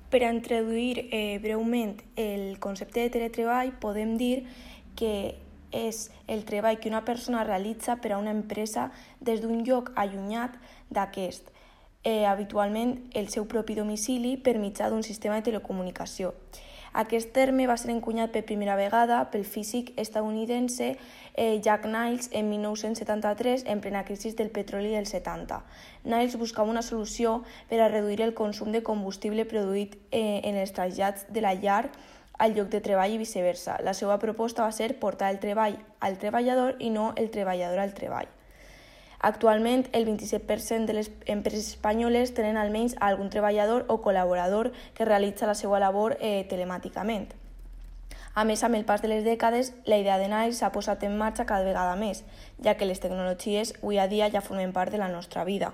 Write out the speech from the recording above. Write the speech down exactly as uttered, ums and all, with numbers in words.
Per a introduir eh, breument el concepte de teletreball, podem dir que és el treball que una persona realitza per a una empresa des d'un lloc allunyat d'aquest, eh, habitualment el seu propi domicili per mitjà d'un sistema de telecomunicació. Aquest terme va ser encunyat per primera vegada pel físic estadounidense eh, Jack Niles en mil nou-cents setanta-tres en plena crisi del petroli dels setanta. Niles buscava una solució per a reduir el consum de combustible produït eh, en els trasllats de la llar al lloc de treball i viceversa. La seva proposta va ser portar el treball al treballador i no el treballador al treball. Actualment, el vint-i-set per cent de les empreses espanyoles tenen almenys algun treballador o col·laborador que realitza la seva labor eh, telemàticament. A més, amb el pas de les dècades, la idea de Niles s'ha posat en marxa cada vegada més, ja que les tecnologies avui a dia ja formen part de la nostra vida.